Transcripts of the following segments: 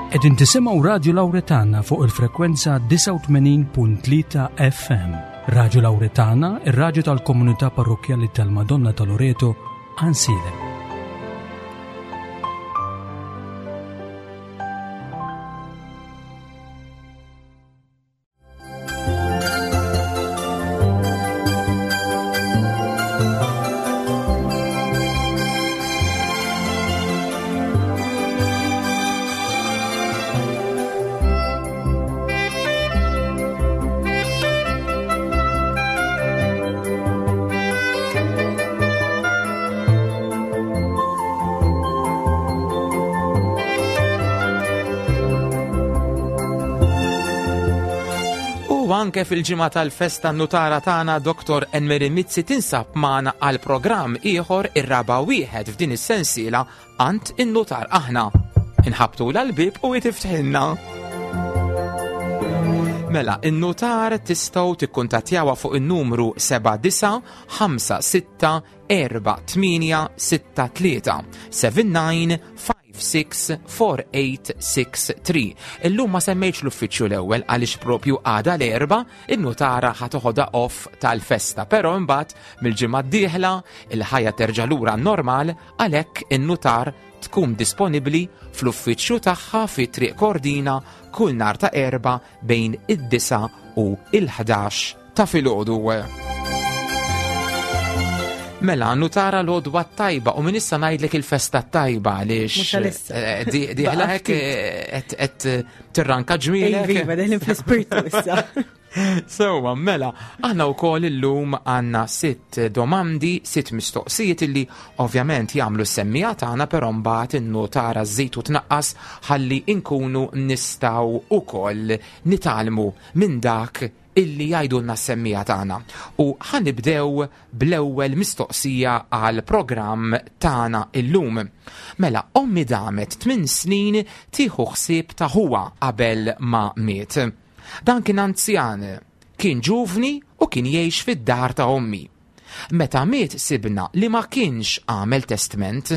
Qegħdin tisimgħu Radju Lawretana fuq il-frekwenza 89.3 FM. Radju Lawretana, ir-radju tal-komunità parrokkjali tal-Madonna ta' Loreto, Ansilem. U anke fil-ġimgħa tal-festa nutara tagħna Dr. Enmeri Mizzi tinsab magħna għal programm ieħor ir-raba' wieħed f'din is-sensiela għand in-nutar aħna. Inħabtu l-bib u jtiftħilna. Mela, in-nutar tistgħu tikkuntattjawha fuq in-numru 7956 4863 79564863. Illum ma semmejtx l-uffiċċju l-ewwel għaliex propju għada l-erba in-nutara ħa toħodha off tal-festa, però imbagħad mill-ġimgħa d-dieħla il-ħajja terġa' lura normal għalhekk in-nutar tkun disponibbli fl-uffiċċju tagħha fi Triq Kordina kull nhar ta' erba' bejn id-9 u il-11 ta' filgħodu. Mela, nutara l-odwa tajba u minn issa ngħidlek il-festa tajba għaliex eh, diħla hekk eh, qed eh, tirranka ġmielek. Iva, deħlin fl-ispirtu issa. Sewa, mela, aħna wkoll illum għandna sitt domandi, sitt mistoqsijiet illi ovvjament jagħmlu s-semmija tagħna però mbagħad in-nutara żżid u tnaqqas ħalli nkunu nistgħu ukoll nitgħallmu minn dak illi jgħidulna s-semmiegħa tagħna. U ħa nibdew bl-ewwel mistoqsija għal programm tagħna illum. Mela, ommi damet tminn snin tieħu ħsieb ta' ħuha qabel ma miet. Dan kien anzjan, kien ġuvni u kien jgħix fid-dar ta' ommi. Meta miet sibna li ma kienx għamel testment.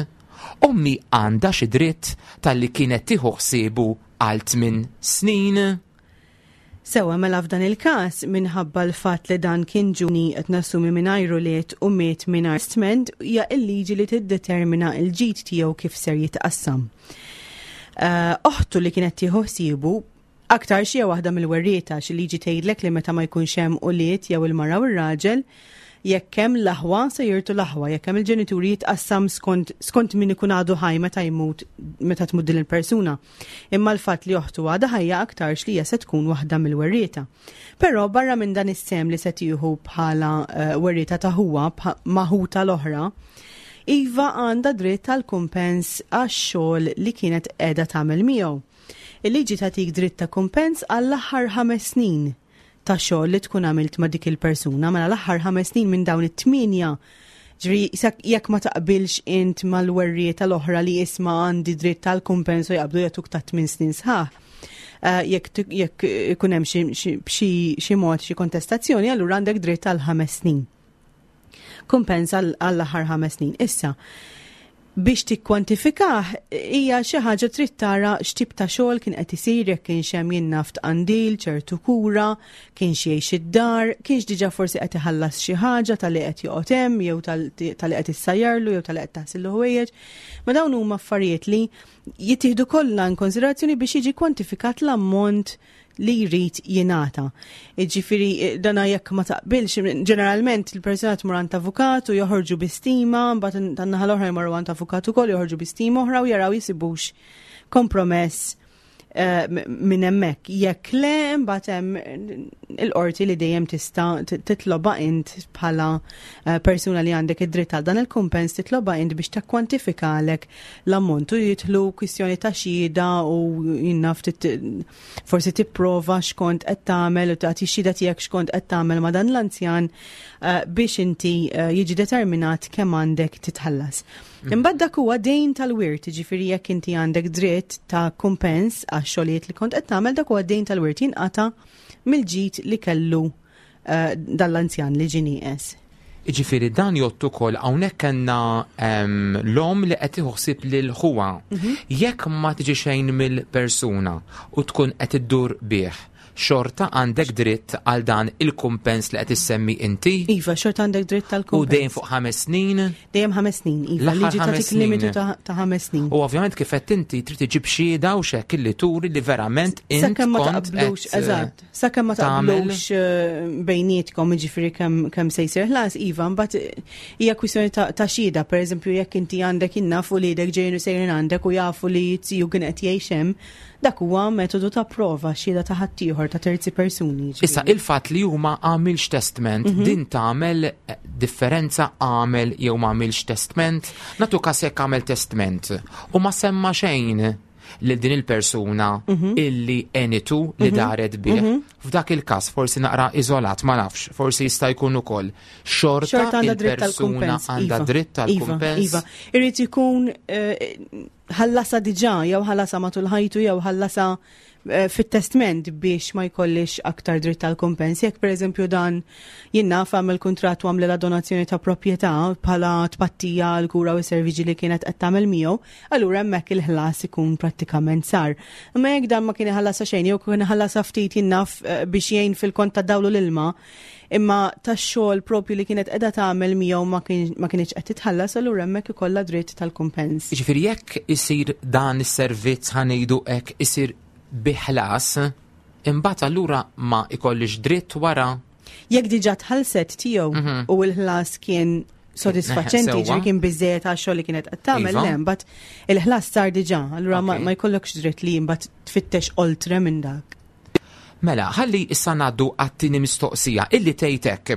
Ommi għandha xi dritt talli kienet tieħu ħsiebu għal tminn snin? Sewwa, mela f'dan il-każ, minħabba l-fatt li dan kien ġuvni qed nassumi mingħajr ulied u miet mingħajr testment, hija l-liġi li tiddetermina l-ġid tiegħu kif ser jitqassam. Eh, oħtu li kienet tieħu ħsiebu aktar xi waħda mill-werrieta xi liġi tgħidlek li meta ma jkunx hemm ulied jew il-mara u r-raġel, jekk hemm l-aħwa se jirtu l-aħwa, jekk hemm il-ġenituri jitqassam skont, skont min ikun għadu ħaj meta jmut meta tmut din il-persuna. Imma l-fatt li oħtu għadha ħajja aktarx li hija se tkun waħda mill-werrieta. Però barra minn dan is-sehem li se tieħu bħala eh, werrieta ta' ħuha ma' ħuta l-oħra, Iva għandha dritt għal kumpens għax-xogħol li kienet qiegħda tagħmel miegħu. Il-liġi tagħtik dritt ta' kumpens għall-aħħar ħames snin ta' xogħol li tkun għamilt ma' dik il-persuna, mela l-aħħar ħames snin minn dawn it-tmienja Ġri, jekk ma taqbilx int mal-werrieta l-oħra li isma għandi dritt tal-kumpens u jaqbdu jagħtuk ta' tmien snin sħaħ. Eh, jekk ikun hemm xi mod xi kontestazzjoni, allura għandek dritt għal ħames snin. Kumpens għall-aħħar ħames snin. Issa, biex tikkwantifikah hija xi ħaġa trid tara x'tip ta' xogħol kien qed isir jekk kienx hemm jien naf tqandil, ċertu kura, kienx jgħix id-dar, kienx diġà forsi qed iħallas xi ħaġa talli qed joqgħod hemm jew talli qed issajjarlu jew talli qed taħsillu ħwejjeġ. Ma dawn huma affarijiet li jittieħdu kollha in konsiderazzjoni biex jiġi kwantifikat l-ammont li jrid jingħata. Jiġifieri dana jekk ma taqbilx, ġeneralment il-persuna tmur għand avukat u joħorġu bi stima, mbagħad tan-naħa l-oħra jmorru għand avukat ukoll joħorġu bi stima oħra u jaraw jisibux kompromess eh, minn hemmhekk. Jekk le, mbagħad hemm il-qorti li dejjem tista' titloba int bħala eh, persuna li għandek id-dritt għal dan il-kumpens titloba int biex takkwantifikalek l-ammont u jidħlu kwistjoni ta' xhieda u jinnaf forsi tipprova x'kont qed tagħmel u tagħti xhieda tiegħek x'kont qed tagħmel ma' dan l-anzjan eh, biex inti eh, jiġi determinat kemm għandek titħallas. Mm. Imbagħad dak huwa dejn tal-wirt, jiġifieri jekk inti għandek dritt ta' kumpens għax-xogħlijiet li kont qed tagħmel dak huwa dejn tal-wirt jinqata' mill-ġid li kellu eh, dal-anzjan li ġie nieqes. Jiġifieri dan jgħodd ukoll hawnhekk kellna l-omm li qed tieħu ħsieb lil ħuha. Jekk ma tiġi xejn mill-persuna u tkun qed iddur bih, xorta għandek dritt għal dan il-kumpens li qed issemmi inti? Iva, xorta għandek dritt tal-kumpens. U dejjem fuq 5 snin? Dejjem 5 snin, iva. L-aħħar Liġi ħames tagħtik snin. limitu ta' 5 snin. U ovvjament kif qed inti trid iġib xhieda u x'hekk illi turi li verament int Sakemm ma kont taqblux, qed, eżatt, sakemm ma tagħmel- taqblux bejnietkom, jiġifieri kemm se jsir ħlas, iva, mbagħad hija kwistjoni ta' xhieda, pereżempju jekk inti għandek innafu li jdek ġejjin u sejrin għandek u jafu li tiju kien qed jgħix hemm, dak huwa metodu ta' prova, xhieda ta' ħaddieħor, ta' terzi persuni, jiġifieri. Issa, il-fatt li huma għamilx testament, din tagħmel differenza għamel jew ma għamilx testament? Natu każ jekk għamel testament u ma semma xejn lil din il-persuna illi enitu li daret bih. F'dak il-każ forsi naqra iżolat, ma nafx, forsi jista' jkun ukoll. Xorta Xorta għandha dritt il-persuna tal-kumpens, għandha iva. dritt Iva, tal-kumpens. iva. Irid ikun ħallasa diġà, jew ħallasa matul ħajtu, jew ħallasa fit-testment biex ma jkollix aktar dritt tal-kumpens. Jekk pereżempju dan jinnaf għamel kuntratt u għamlilha donazzjoni ta' proprjetà bħala tpattija għal kura u serviġi li kienet qed tagħmel miegħu, allura hemmhekk il-ħlas ikun prattikament sar. Imma jekk dan ma kien iħallasa xejn, jew kien iħallasa ftit jinnaf biex jgħin fil-kont ta' dawlu l-ilma, imma tax-xogħol propju li kienet qiegħda tagħmel miegħu ma kienx qed titħallas, allura hemmhekk ikollha dritt tal-kumpens. Jiġifieri jekk isir dan is-servizz ħanejdu hekk isir biħlas, imbagħad allura ma ikollix dritt wara. Jekk diġà tħallset tiegħu u l-ħlas kien sodisfaċenti, ġifieri kien biżejjed għax-xogħol li kienet qed tagħmel, le, mbagħad il-ħlas sar diġà, allura ma jkollokx dritt li mbagħad tfittex oltre minn dak. Mela, ħalli issa ngħaddu għat-tieni mistoqsija illi tgħidek.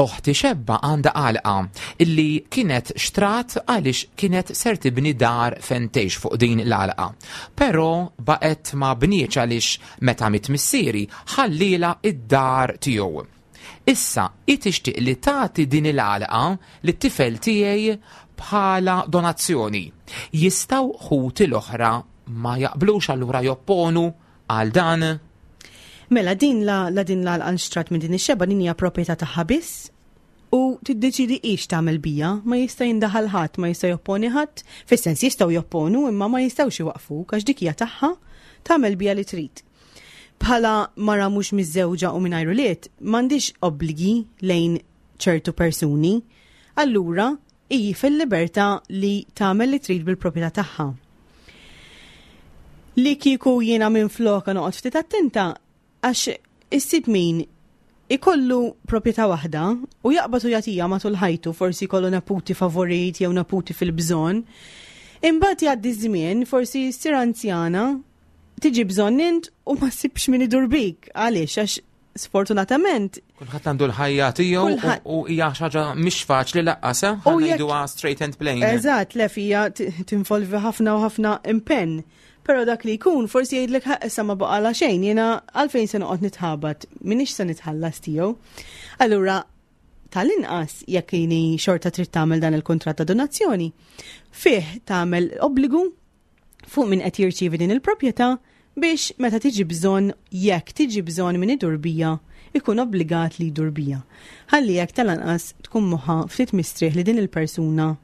Oħti xebba għandha għalqa illi kienet xtrat għaliex kienet ser tibni dar fejn tgħix fuq din l-għalqa. Però baqgħet ma bnietx għaliex meta miet missieri ħallila id-dar tiegħu. Issa, hi tixtieq li tagħti din il-għalqa lit-tifel tiegħi bħala donazzjoni. Jistgħu ħuti l-oħra ma jaqblux allura jopponu għal dan? Mela, din la din la l-għalqa minn din ix-xebba, din hija proprjetà tagħha biss u tiddeċidi ix tagħmel bija, ma jista' jindaħal ħadd, ma jista' jopponi ħadd, fis-sens jistgħu jopponu imma ma jistgħux iwaqfuk għax dik hija tagħha, tagħmel bija li trid. Bħala mara mhux miżżewġa u mingħajr ulied, m'għandix obbligi lejn ċertu persuni, allura hi fil-libertà li tagħmel li trid bil-proprjetà tagħha. Li kieku jiena minn floka noqgħod ftit attenta għax issib min ikollu proprjetà waħda u jaqbad u jagħtiha matul ħajtu, forsi jkollu neputi favorit jew neputi fil-bżonn. Imbagħad jgħaddi żmien, forsi ssir anzjana, tiġi bżonn int u ma ssibx min idur bik. Għaliex? Għax sfortunatament Kulħadd għandu l-ħajja tiegħu u hija xi ħaġa mhix faċli laqqas, eh? U jekk Ngħiduha straight and plain. Eżatt, le fija tinvolvi ħafna u ħafna impenn. Però dak li jkun forsi jgħidlek ħa issa ma baqala xejn, jiena għalfejn se noqgħod nitħabat, m'iniex se nitħallas tiegħu. Allura tal-inqas jekk jini xorta trid tagħmel dan il-kuntratt ta' donazzjoni, fih tagħmel obbligu fuq min qed jirċievi din il-proprjetà biex meta tiġi bżonn, jekk tiġi bżonn min idur bija, ikun obbligat li jdur bija. Ħalli jekk tal-anqas tkun moħħa ftit mistrieħ li din il-persuna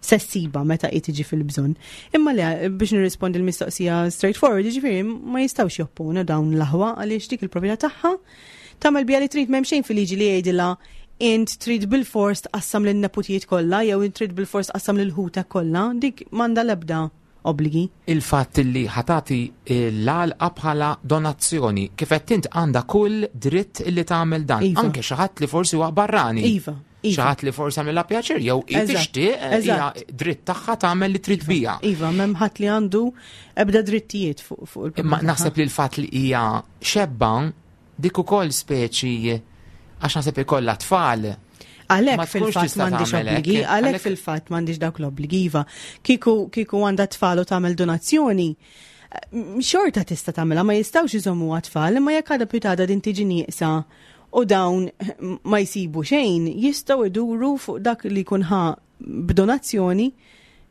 sessiba meta hi tiġi fil-bżonn. Imma le, biex nirrispondi l-mistoqsija straightforward, jiġifieri ma jistgħux jopponu dawn l-aħwa għaliex dik il-proprjetà tagħha tagħmel bija li trid, m'hemm xejn fil-liġi li jgħidilha int trid bil-fors tqassam lin-neputijiet kollha jew int trid bil-fors tqassam lil ħutek kollha, dik m'għandha l-ebda obbligi. Il-fatt li ħatati l-għalqa bħala donazzjoni, kif qed int għandha kull dritt li tagħmel dan, anke xi ħadd li forsi huwa barrani. Iva. Xi ħadd li forsi għamilha pjaċir jew hi tixtieq, hija dritt tagħha tagħmel li trid bija. Iva, m'hemm ħadd li għandu ebda drittijiet fuq il-proprjetà Imma tagħha. naħseb li l-fatt li hija xebba dik ukoll speċi għax naħseb ikollha tfal. Għalhekk Ma tkunx fil-fatt tista' m'għandix tagħmel hekk. obbligi, għalhekk fil-fatt m'għandix dawk l-obbligi, iva. Kieku għandha tfal u tagħmel donazzjoni, xorta tista' tagħmilha, ma jistgħux iżommu tfal, imma jekk għadha pitada din tiġi nieqsa u dawn ma jsibu xejn, jistgħu iduru fuq dak li jkun ħa b'donazzjoni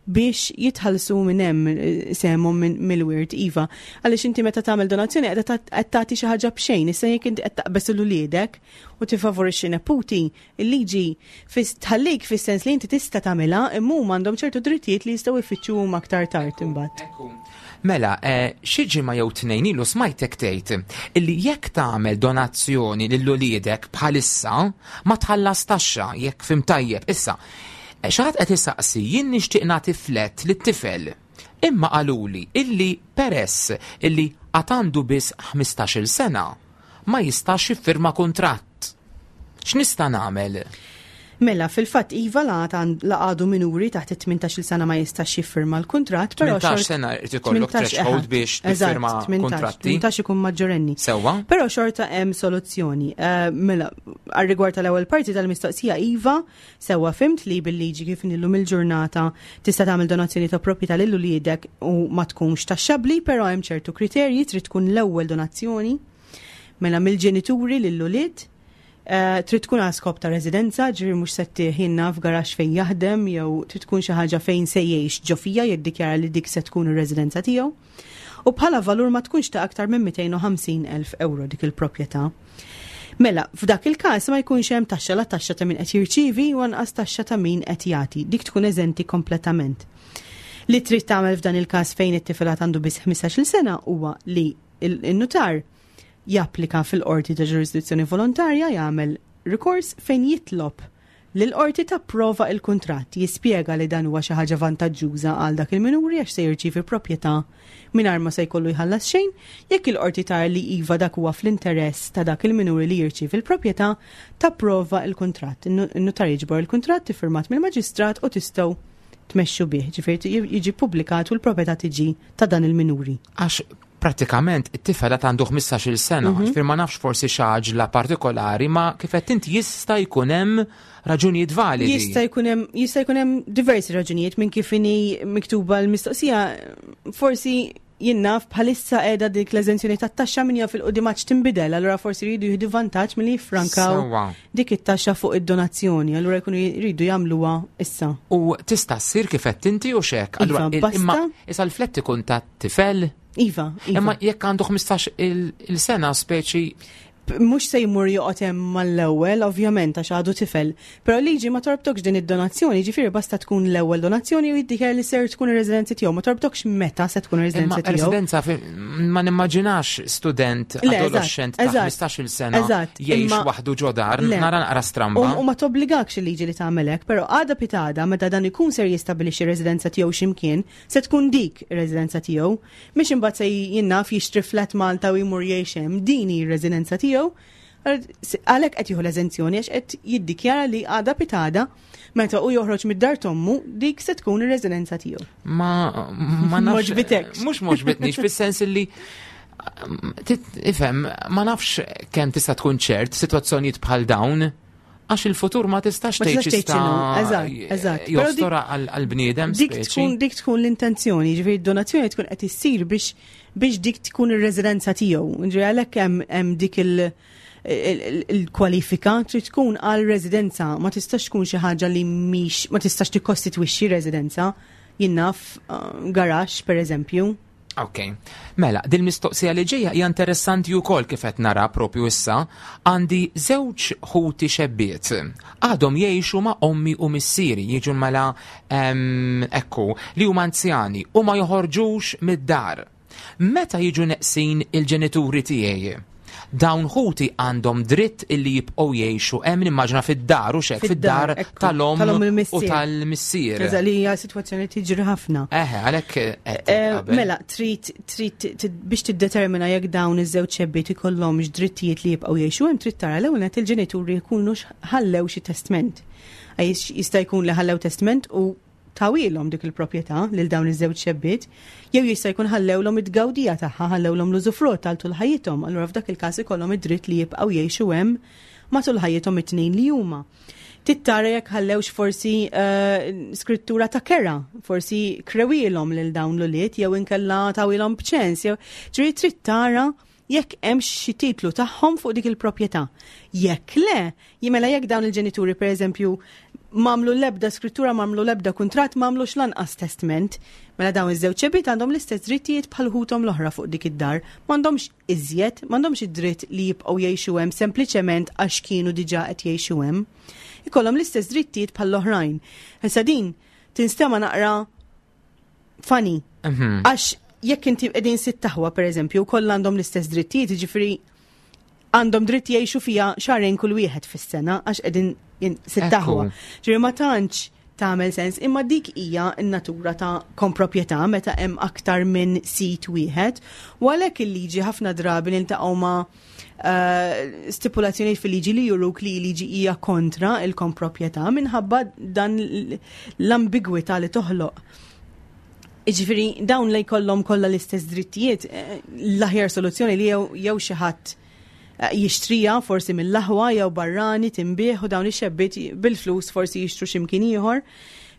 biex jitħallsu minn hemm eh, sehemhom mill-wirt iva. Għaliex inti meta tagħmel donazzjoni qed tagħti xi ħaġa b'xejn, issa jekk inti qed taqbeż il uliedek u tifavorixxi neputi, il-liġi tħallik fis-sens li inti tista' tagħmilha imma huma għandhom ċertu drittijiet li jistgħu jfittxu huma aktar tard imbagħad. Mela, eh, xi ġimgħa jew tnejn ilu smajtek tgħid illi jekk tagħmel donazzjoni lil uliedek bħalissa ma tħallas taxxa jekk fim tajjeb. Issa, eh, xi ħadd qed isaqsi jien nixtieq nagħti flett lit-tifel. Imma qaluli illi peress illi għad għandu biss 15-il sena ma jistax jiffirma kuntratt. X'nista' nagħmel? Mela, fil-fatt Iva la għadu minuri taħt it-18 sena ma jistax jiffirma l-kuntratt, però 18 sena irid ikollok threshold biex tiffirma kuntratti. 18 ikun maġġorenni. Sewwa. Però xorta hemm soluzzjoni. Eh, mela, għar-rigward tal-ewwel parti tal-mistoqsija Iva, sewwa fimt li bil-liġi kif illum il-ġurnata tista' tagħmel donazzjoni ta' proprjetà lil uliedek u ma tkunx taxxabbli, però hemm ċertu kriterji trid tkun l-ewwel donazzjoni mela mill-ġenituri lil ulied Eh, trid tkun għal skop ta' residenza, ġifieri mhux se ttih f'garaxx fejn jaħdem jew trid tkun xi ħaġa fejn se jgħix ġo fiha jiddikjara li dik se tkun ir-residenza tiegħu. U bħala valur ma tkunx ta' aktar minn 250,000 euro dik il-proprjetà. Mela, f'dak il-każ ma jkunx hemm taxxa la taxxa ta' min qed jirċievi u anqas taxxa ta' min qed jagħti. Dik tkun eżenti kompletament. Li trid tagħmel f'dan il-każ fejn it-tifel għandu biss 15-il sena huwa li il-nutar japplika fil-qorti ta' ġurisdizzjoni volontarja jagħmel rikors fejn jitlob li l-qorti tapprova il-kuntratt, jispjega li dan huwa xi ħaġa vantaġġuża għal dak il-minuri għax se jirċievi proprjetà mingħajr ma se jkollu jħallas xejn, jekk il-qorti tara li iva dak huwa fl-interess ta' dak il-minuri li jirċievi l-proprjetà, tapprova il-kuntratt. In-nutar jiġbor il-kuntratt iffirmat mill-maġistrat u tistgħu tmexxu bih, ġifieri jiġi ppubblikat u l-proprjetà tiġi ta' dan il-minuri. Għax pratikament it-tifel għad għandu 15-il sena, ġifieri ma nafx forsi xi partikolari, ma kif qed inti jista' jkun hemm raġunijiet validi. Jista' jkun hemm jista' jkun hemm diversi raġunijiet minn kif inhi miktuba l-mistoqsija, forsi jien naf bħalissa qiegħda dik l-eżenzjoni tat-taxxa min jaf 'il quddiem għadx tinbidel, allura forsi jridu jieħdu vantaġġ milli jiffrankaw dik it-taxxa fuq id-donazzjoni, allura jkunu jridu jagħmluha issa. U tista' ssir kif qed inti u xek. Allura iva, imma issa l-flett ikun ta' tifel. Iva, iva. Imma jekk għandu 15 il-sena speċi mhux se jmur joqgħod hemm mal-ewwel, ovvjament għax għadu tifel. Però liġi ma torbtokx din id-donazzjoni, ġifieri basta tkun l-ewwel donazzjoni u jiddikjara li ser tkun ir-residenza tiegħu, ma torbtokx meta se tkun ir-residenza tiegħu. Residenza ma nimmaġinax student adolescent ta' 15-il sena jgħix waħdu ġo dar, nara naqra stramba. U ma tobbligakx il-liġi li tagħmel hekk, però għada pitgħada meta dan ikun ser jistabilixxi residenza tiegħu x'imkien, se tkun dik ir-residenza tiegħu. Mhix imbagħad se jien naf jixtri flat Malta u jmur jgħix hemm, din hi r-residenza tiegħu. Għalhekk qed jieħu l-eżenzjoni għax qed jiddikjara li għada pitgħada meta u joħroġ mid-dar t'ommu dik se tkun ir-residenza tiegħu. Ma ma nafx. Mhux m'għoġbitnix fis-sens li ifhem, ma nafx kemm tista' tkun ċert sitwazzjonijiet bħal dawn għax il-futur ma tistax tgħid x'jista' Eżatt, eżatt. Jostora għall-bniedem. Dik tkun dik tkun l-intenzjoni, ġifieri d-donazzjoni tkun qed issir biex biex dik tkun ir-residenza tiegħu. Ġifieri għalhekk hemm dik il-kwalifika trid tkun għal residenza, ma tistax tkun xi ħaġa li mhix ma tistax tikkostitwixxi residenza. Jien naf garaxx per eżempju. Ok. Mela, dil-mistoqsija li ġejja hija interessanti wkoll kif qed nara propju issa. Għandi żewġ ħuti xebbiet. Għadhom jgħixu ma' ommi u missieri, jiġu mela ekku, li huma anzjani u ma joħorġux mid-dar. Meta jiġu neqsin il-ġenituri tiegħi, dawn ħuti għandhom dritt illi jibqgħu jgħixu hemm nimmaġina fid-dar u xek, fid-dar tal-om u tal-missier. Eżatt, li hija sitwazzjoni tiġri ħafna. Eħe, għalhekk qed qabel. Mela, trid trid biex tiddetermina jekk dawn iż-żewġ xebbiet ikollhomx drittijiet li jibqgħu jgħixu hemm trid tara l-ewwel nett il-ġenituri jkunu ħallew xi testment. Għax jista' jkun li ħallew testment u tawhielhom dik il-proprjetà lil dawn iż-żewġ xebbiet, jew jista' jkun ħallewlhom it-tgawdija tagħha, ħallewlhom l-użufrutt għal tul ħajjithom, allura f'dak il-każ ikollhom id-dritt li jibqgħu jgħixu hemm matul ħajjithom it-tnejn li huma. Trid tara jekk ħallewx forsi skrittura ta' kera, forsi krewilhom lil dawn l-ulied jew inkella tawilhom b'ċens, jew ġifieri trid tara jekk hemm xi titlu tagħhom fuq dik il-proprjetà. Jekk le, jimela jekk dawn il-ġenituri pereżempju M'għamlu l-ebda skrittura, m'għamlu l-ebda kuntratt, m'għamlux lanqas testment. Mela dawn iż-żewġ xebbiet għandhom l-istess drittijiet bħal ħuthom l-oħra fuq dik id-dar. M'għandhomx iżjed, m'għandhomx id-dritt li jibqgħu jgħixu hemm sempliċement għax kienu diġà qed jgħixu hemm. Ikollhom l-istess drittijiet bħall-oħrajn. Issa din tinstema' naqra funny. Għax jekk inti qegħdin sitt aħwa pereżempju, kollha għandhom l-istess drittijiet, jiġifieri għandhom dritt jgħixu fija xahrejn kull wieħed fis-sena għax qegħdin sitt aħwa. Ġifieri ma tantx tagħmel sens, imma dik hija n-natura ta' komproprjetà meta hemm aktar minn sit wieħed. U għalhekk il-liġi ħafna drabi niltaqgħu ma' stipulazzjonijiet fil-liġi li juruk li liġi hija kontra il-komproprjetà minħabba dan l-ambigwità li toħloq. Jiġifieri dawn li jkollhom kollha l-istess drittijiet, l-aħjar soluzzjoni li jew xi ħadd jixtrija forsi mill-aħwa jew barrani tinbih u dawn ix-xebbiet bil-flus forsi jixtru x'imkien ieħor.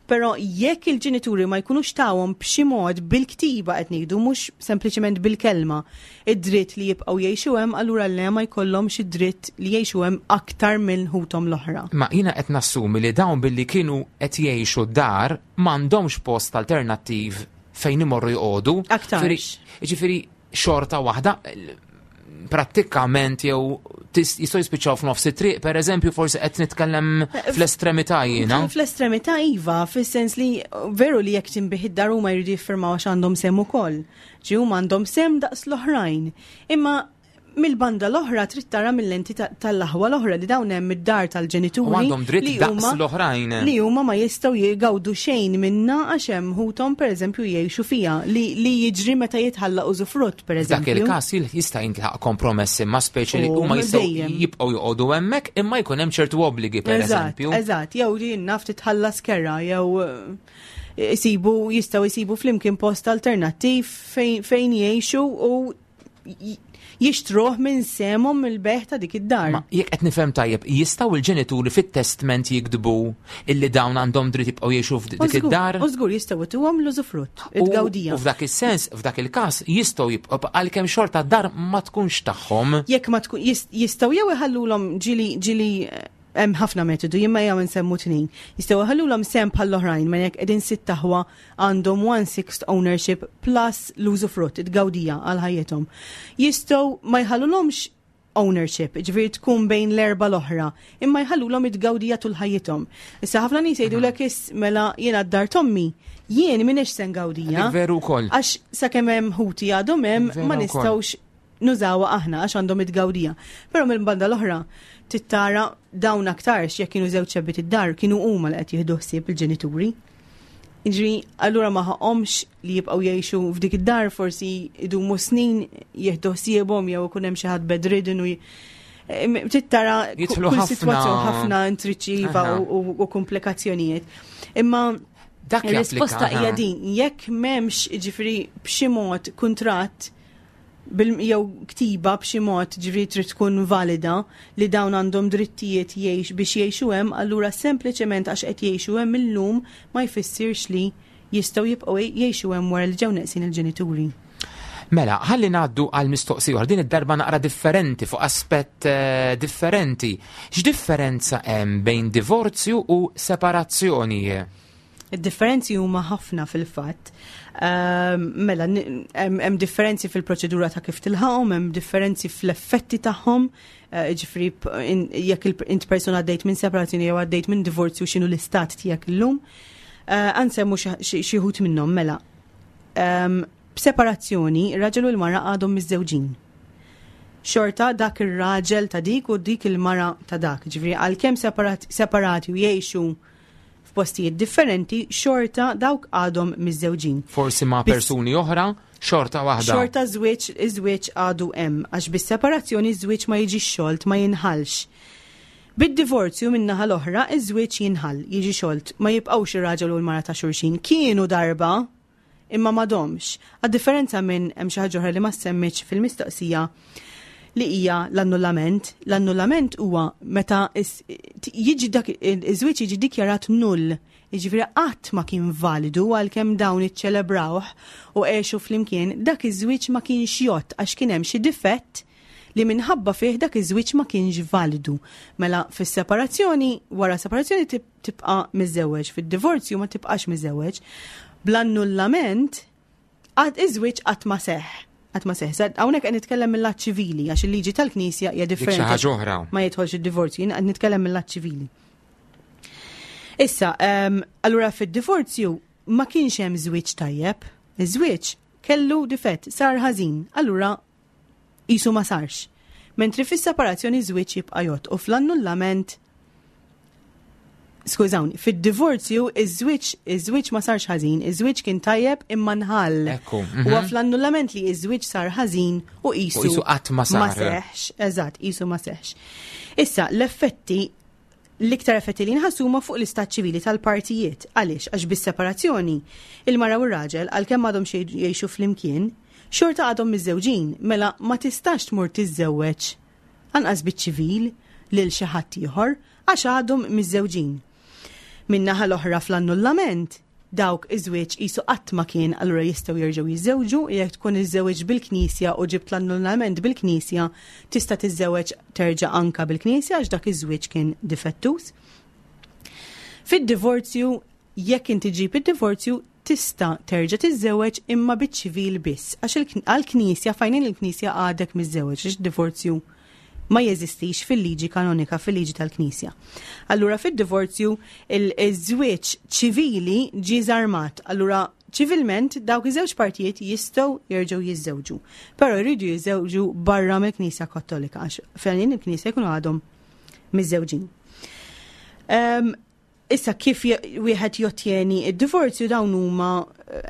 Però jekk il-ġenituri ma jkunux tawhom b'xi mod bil-ktiba qed ngħidu mhux sempliċement bil-kelma id-dritt li jibqgħu jgħixu hemm, allura le ma jkollhomx id-dritt li jgħixu hemm aktar minn ħuthom l-oħra. Ma jiena qed nassumi li dawn billi kienu qed jgħixu d-dar m'għandhomx post alternattiv fejn imorru joqogħdu. Aktarx. Jiġifieri xorta waħda prattikament jew jistgħu jispiċċaw f'nofs it-triq, pereżempju, forsi qed nitkellem fl-estremità jiena. Fl-estremità iva, fis-sens li veru li jekk tinbih id-dar huma jridu jiffirmaw għax għandhom sehem ukoll. Ġi huma għandhom sehem daqs l-oħrajn. Imma mill-banda l-oħra trid tara mill-lenti tal-aħwa l-oħra li dawn hemm id-dar tal-ġenituri. U għandhom dritt daqs l-oħrajn. Li huma ma jistgħu jgawdu xejn minna għax hemm ħuthom pereżempju jgħixu fiha li jiġri meta jitħalla użufrutt pereżempju. Dak il-każ jista' jintlaħaq kompromess imma speċi li huma jistgħu jibqgħu joqogħdu hemmhekk imma jkun hemm ċertu obbligi pereżempju. Eżatt, jew li naf titħallas kera jew isibu jistgħu jsibu flimkien post alternattiv fejn jgħixu u jixtruh minn semhom mill-beħ ta' dik id-dar. Ma jekk qed nifhem tajjeb, jistgħu l-ġenituri fit-testment jiktbu illi dawn għandhom dritt jibqgħu jgħixu f'dik id-dar? U żgur jistgħu ituhom l-użufrutt, it-tgawdija. U f'dak is-sens, f'dak il-każ, jistgħu jibqgħu għalkemm xorta d-dar ma tkunx tagħhom. Jekk ma tkun jistgħu jew iħallulhom ġieli ġieli hemm ħafna metodu, jien ma jew nsemmu tnejn. Jistgħu iħallulhom sehem bħall-oħrajn, ma jekk qegħdin sitt aħwa għandhom one sixth ownership plus l-użufrutt, it-tgawdija għal ħajjithom. Jistgħu ma jħallulhomx ownership, ġifieri tkun bejn l-erba' l-oħra, imma jħallulhom it-tgawdija tul ħajjithom. Issa ħafna nies jgħidulek is mela jiena d-dar tommi, jien m'iniex se ngawdija. Veru wkoll. Għax sakemm hemm ħuti għadhom hemm ma nistgħux nużawha aħna għax għandhom it-tgawdija. Però mill-banda l-oħra, tittara dawn aktarx jekk kienu żewġ xebbiet id-dar kienu huma li qed jieħdu ħsieb il-ġenituri. Jiġri, allura ma ħaqhomx li jibqgħu jgħixu f'dik id-dar forsi idumu snin jieħdu ħsiebhom jew ikun hemm xi ħadd bedridden u tittara kull sitwazzjoni ħafna intriċiva u komplikazzjonijiet. Imma dak ir-risposta hija din, jekk m'hemmx ġifieri b'xi mod kuntratt jew ktiba b'xi mod ġifieri trid tkun valida li dawn għandhom drittijiet jgħix biex jgħixu hemm, allura sempliċement għax qed jgħixu hemm illum ma jfissirx li jistgħu jibqgħu jgħixu hemm wara li ġew neqsin il-ġenituri. Mela, ħalli ngħaddu għal mistoqsija oħra, din id-darba naqra differenti fuq aspett differenti. X'differenza hemm bejn divorzju u separazzjoni? Id-differenzi huma ħafna fil-fatt. Mela, hemm differenzi fil-proċedura ta' kif tilħaqhom, hemm differenzi fl-effetti tagħhom, ġifieri jekk int persuna għaddejt minn separazzjoni jew għaddejt minn divorzju x'inhu l-istat tiegħek illum. Ansemmu xi wħud minnhom, mela. B'separazzjoni, ir-raġel u l-mara għadhom miżżewġin. Xorta dak ir-raġel ta' dik u dik il-mara ta' dak. Ġifieri għalkemm separati u jgħixu f'postijiet differenti, xorta dawk għadhom miżżewġin. Forsi ma' persuni oħra, xorta waħda. Xorta żwieġ, iż-żwieġ għadu hemm, għax bis-separazzjoni ż-żwieġ ma jiġix xolt, ma jinħallx. Bid-divorzju min-naħa l-oħra, iż-żwieġ jinħall, jiġi xolt, ma jibqgħux ir-raġel u l-mara ta' xulxin. Kienu darba, imma m'għadhomx. Għad-differenza minn hemm xi ħaġa oħra li ma semmitx fil-mistoqsija li hija l-annullament. L-annullament huwa meta jiġi dak iż-żwieġ jiġi dikjarat null, jiġifieri qatt ma kien validu għalkemm dawn iċċelebrawh u għexu flimkien, dak iż-żwieġ ma kienx jgħodd għax kien hemm xi difett li minħabba fih dak iż-żwieġ ma kienx validu. Mela fis-separazzjoni, wara separazzjoni tibqa' miżżewweġ, fid-divorzju ma tibqax miżżewweġ. Bl-annullament għad iż-żwieġ qatt ma seħħ. Qatt ma seħħ. Hawnhekk qed nitkellem mill-att ċivili għax il-liġi tal-Knisja hija differenti. ħaġa oħra. Ma jidħolx id-divorzju, jien qed nitkellem mill-att ċivili. Issa, allura fid-divorzju ma kienx hemm żwieġ tajjeb. Iż-żwieġ kellu difett, sar ħażin, allura qisu ma sarx. Mentri fis-separazzjoni żwieġ jibqa' jgħodd u fl-annullament Skużawni, fid-divorzju iż-żwieġ iż-żwieġ ma sarx ħażin, iż-żwieġ kien tajjeb imma nħall. Ekku. Huwa fl-annullament li iż-żwieġ sar ħażin u qisu. U qisu qatt ma sar. Ma seħx, eżatt, qisu ma seħx. Issa, l-effetti l-iktar effetti li nħassu huma fuq l-istat ċivili tal-partijiet. Għaliex? Għax bis-separazzjoni, il-mara u r-raġel għalkemm għadhom jgħixu flimkien, xorta għadhom miżżewġin, mela ma tistax tmur tiżżewweġ anqas biċ-ċivil lil xi ħadd ieħor għax għadhom miżżewġin. Min-naħa l-oħra fl-annullament, dawk iż-żwieġ qisu qatt ma kien allura jistgħu jerġgħu jiżżewġu jekk tkun iżżewweġ bil-Knisja u ġibt l-annullament bil-Knisja tista' tiżżewweġ terġa' anka bil-Knisja għax dak iż-żwieġ kien difettuż. Fid-divorzju jekk inti ġib id-divorzju tista' terġa' tiżżewweġ imma biċ-ċivil biss għax għall-Knisja f'għajnejn il-Knisja għadek miżżewweġ għax id-divorzju ma jeżistix fil-liġi kanonika, fil-liġi tal-Knisja. Allura fid-divorzju il-żwieġ ċivili ġie żarmat. Allura ċivilment dawk iż-żewġ partijiet jistgħu jerġgħu jiżżewġu. Però jridu jiżżewġu barra mill-Knisja Kattolika għax fejn il-Knisja jkunu għadhom miżżewġin. Issa kif wieħed jottjeni id-divorzju dawn huma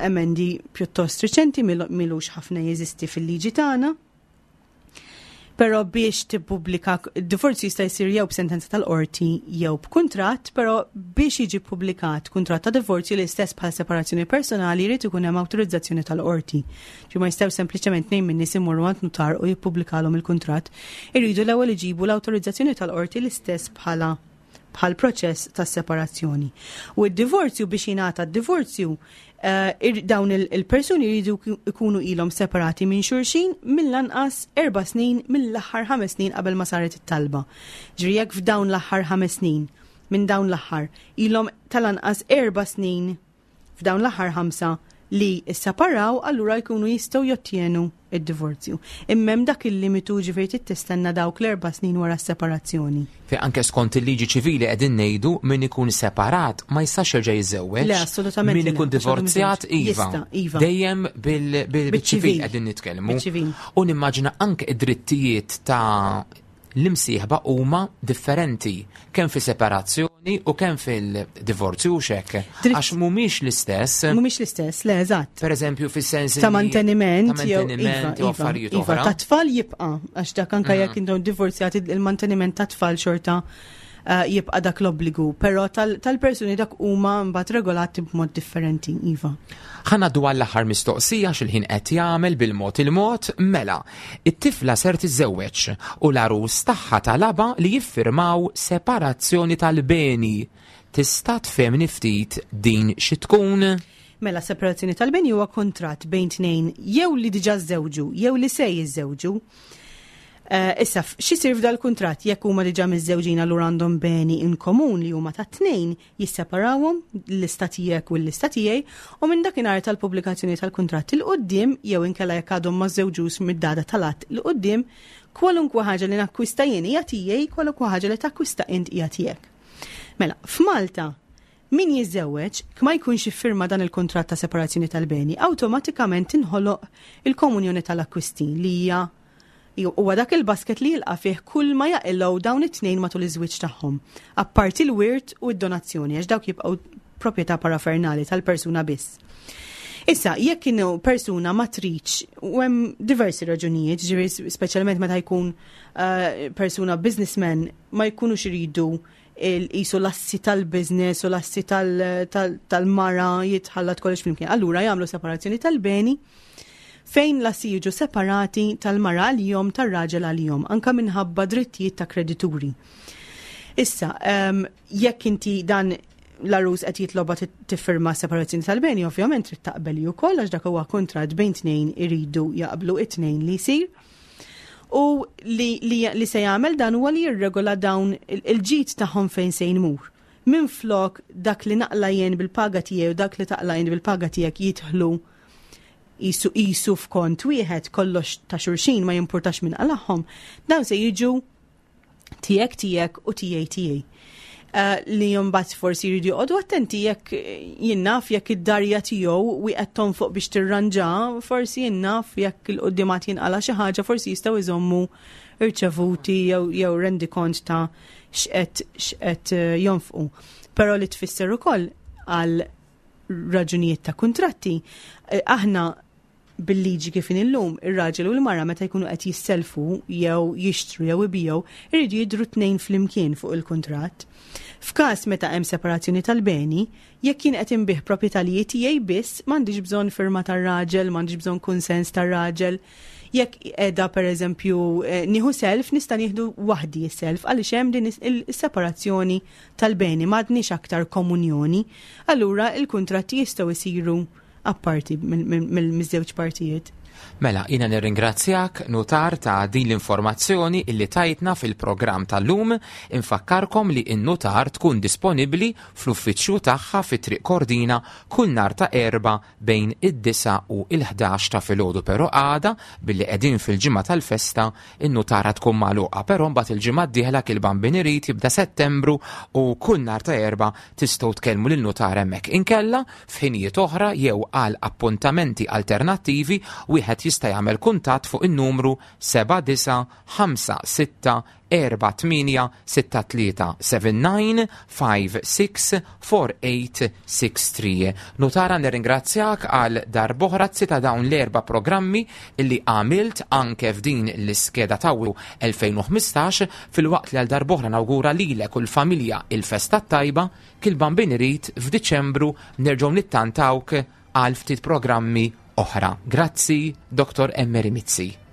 emendi pjuttost riċenti milux ħafna jeżisti fil-liġi tagħna. Però biex tippubblika d-divorzju jista' jsir jew b'sentenza tal-qorti jew b'kuntratt, però biex jiġi ppubblikat kuntratt ta' divorzju l-istess bħal separazzjoni personali jrid ikun hemm awtorizzazzjoni tal-qorti. Ġi ma jistgħu sempliċement tnejn minn nies imorru għand nutar u jippubblikalhom il-kuntratt, iridu l-ewwel iġibu l-awtorizzazzjoni tal-qorti l-istess bħala bħal proċess ta' separazzjoni. U d-divorzju biex jingħata d-divorzju dawn il-persuni jridu jkunu ilhom separati minn xulxin mill-anqas 4 snin mill-aħħar 5 snin qabel ma saret it-talba. Ġifieri jekk f'dawn l-aħħar 5 snin minn dawn l-aħħar ilhom tal-anqas 4 snin f'dawn l-aħħar 5 li sseparaw allura jkunu jistgħu jottjenu id-divorzju. Imma hemm dak il-limitu ġifieri trid tistenna dawk l-4 snin wara s-separazzjoni. Fejn anke skont il-liġi ċivili qegħdin ngħidu min ikun separat ma jistax jerġa' jiżżewweġ. Le, assolutament. Min ikun divorzjat iva. Jista', iva. Dejjem bil-ċivil qegħdin nitkellmu. Biċ-ċivil. U nimmaġina anke id-drittijiet ta' l-imsieħba huma differenti kemm fi separazzjoni u kemm fil-divorzju u xek. Għax mhumiex l-istess. Mhumiex l-istess, le eżatt. Per eżempju, fis-sens ta' manteniment, ta' manteniment jew iva, affarijiet iva, oħra. Ta' tfal jibqa' għax dak anke jekk intom divorzjati il-manteniment ta' tfal xorta jibqa' dak l-obbligu, però tal-persuni dak huma mbagħad regolati b'mod differenti, iva. Ħa ngħaddu għall-aħħar mistoqsija x'il-ħin qed jagħmel bil-mod il-mod, mela, it-tifla ser tiżżewweġ u l-għarus tagħha talabha li jiffirmaw separazzjoni tal-beni. Tista' tfehmni ftit din xi tkun? Mela, separazzjoni tal-beni huwa kuntratt bejn tnejn jew li diġà żżewġu jew li se jiżżewġu. Issa, x'isir f'dal-kuntratt jekk huma diġà miżżewġin allura għandhom beni in komun li huma tat-tnejn, jisseparawhom, l-lista tiegħek u l-lista tiegħi, u minn dakinhar tal-pubblikazzjoni tal-kuntratt 'il quddiem jew inkella jekk għadhom ma żżewġux mid-data tal-att 'il quddiem, kwalunkwe ħaġa li nakkwista jien hija tiegħi, kwalunkwe ħaġa li takkwista int hija tiegħek. Mela, f'Malta, min jiżżewweġ, ma jkunx iffirma dan il-kuntratt ta' separazzjoni tal-beni, awtomatikament tinħoloq il-komunjoni tal-akkwisti li hija huwa dak il-basket li jilqa' fih kull ma jaqilgħu dawn it-tnejn matul iż-żwieġ tagħhom, apparti l-wirt u d-donazzjoni għax dawk jibqgħu proprjetà parafernali tal-persuna biss. Issa, jekk kienu persuna ma tridx, u hemm diversi raġunijiet, ġifieri speċjalment meta jkun persuna businessman ma jkunux iridu qisu l-assi tal-business u l-assi tal-mara jitħallat kollox flimkien. Allura jagħmlu separazzjoni tal-beni fejn l-assi jiġu separati tal-mara għalihom, tar-raġel għalihom, anka minħabba drittijiet ta' kredituri. Issa, jekk inti dan l-arus qed jitloba tiffirma separazzjoni tal-beni, ovvjament trid taqbel ukoll għax dak huwa kuntratt bejn tnejn iridu jaqblu it-tnejn li jsir. U li, li, li se jagħmel dan huwa li jirregola dawn il-ġid tagħhom fejn se jmur. Minflok dak li naqla jien bil-paga tiegħi u dak li taqla jien bil-paga tiegħek jidħlu jisu jisu f'kont wieħed kollox ta' xulxin ma jimpurtax minn qalagħhom, dawn se jiġu tiegħek tiegħek u tiegħi tiegħi. Li jumbat forsi jridu joqogħdu attenti jekk jien naf jekk id-darja tiegħu wieqed tonfoq biex tirranġa, forsi jien naf jekk il-quddimat jinqala xi ħaġa, forsi jistgħu jżommu irċevuti jew rendikont ta' x'qed x'qed jonfqu. Però li tfisser ukoll għal raġunijiet ta' kuntratti, aħna bil-liġi kif inhi llum, ir-raġel u l-mara meta jkunu qed jisselfu jew jixtru jew ibiegħu, iridu jidhru tnejn flimkien fuq il-kuntratt. F'każ meta hemm separazzjoni tal-beni, jekk jien qed inbigħ proprjetà li hi tiegħi biss, m'għandix bżonn firma tar-raġel, m'għandix bżonn kunsens tar-raġel. Jekk qiegħda pereżempju nieħu self, nista' nieħdu waħdi s-self għaliex hemm din is-separazzjoni tal-beni, m'għadniex aktar komunjoni. Allura il-kuntratti jistgħu jsiru apparti mill-żewġ partijiet. Mela, jiena nirringrazzjak, Nutar, ta' din l-informazzjoni illi tajtna fil-programm tal-lum. Infakkarkom li n-Nutar tkun disponibbli fl-uffiċċju tagħha fi Triq Kordina kull nhar ta' Erbgħa bejn id-disgħa u l-ħdax ta' filgħodu, però għada billi qegħdin fil-ġimgħa tal-festa in-Nutara tkun magħluqa, però mbagħad il-ġimgħa d-dieħla kil Bambin irid jibda Settembru u kull nhar ta' Erbgħa tistgħu tkellmu lin-Nutar hemmhekk. Inkella F'ħinijiet oħra jew għal appuntamenti alternattivi wieħed jista' jagħmel kuntatt fuq in-numru 79564863 79564863. Nutara nirringrazzjak għal darb'oħra ta' dawn l-erba' programmi li għamilt anke f'din l-iskeda ta' 2015 filwaqt li għal darb'oħra nawgura lilek u l-familja il-festa t-tajba. Kil Bambin irid f'Diċembru nerġgħu nittantawk għal ftit programmi oħra. Grazzi, Dr. Emery Mizzi.